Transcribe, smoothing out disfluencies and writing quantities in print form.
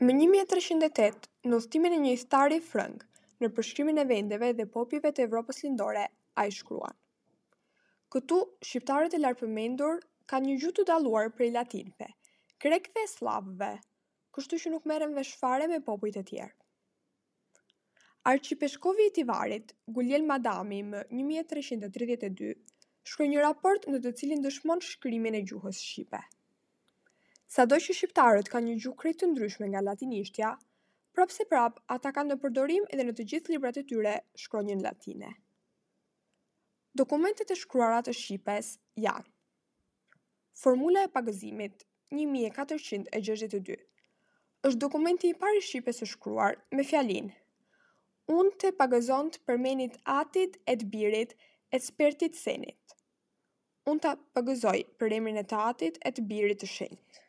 Më 1308, në udhëtimin e një ithtari frëng, në përshkrimin e vendeve dhe popujve të Evropës Lindore, ai shkruan: Këtu shqiptarët e lartpërmendur kanë një gjuhë të dalluar prej latinëve, grekëve e sllavëve, kështu që nuk merren vesh fare me popujt e tjerë. Arqipeshkvi i Tivarit, Gulielm Adami më 1332 shkroi një raport në të cilin dëshmon shkrimin e gjuhës shqipe. Sado që shqiptarët kanë një gjuhë krejt të ndryshme nga latinishtja, prapëseprapë ata kanë në përdorim edhe në të gjithë librat e tyre shkronjën latine. Dokumentet e shkruara të shqipes janë: Formula e pagëzimit, 1462, është dokumenti i parë i shqipes së shkruar me fjalinë Unë te pagëzont përmenit Atit et Birit et Spertit Senit. Unë ta pagëzoj për emrin e të Atit e të Birit të Shenjtë.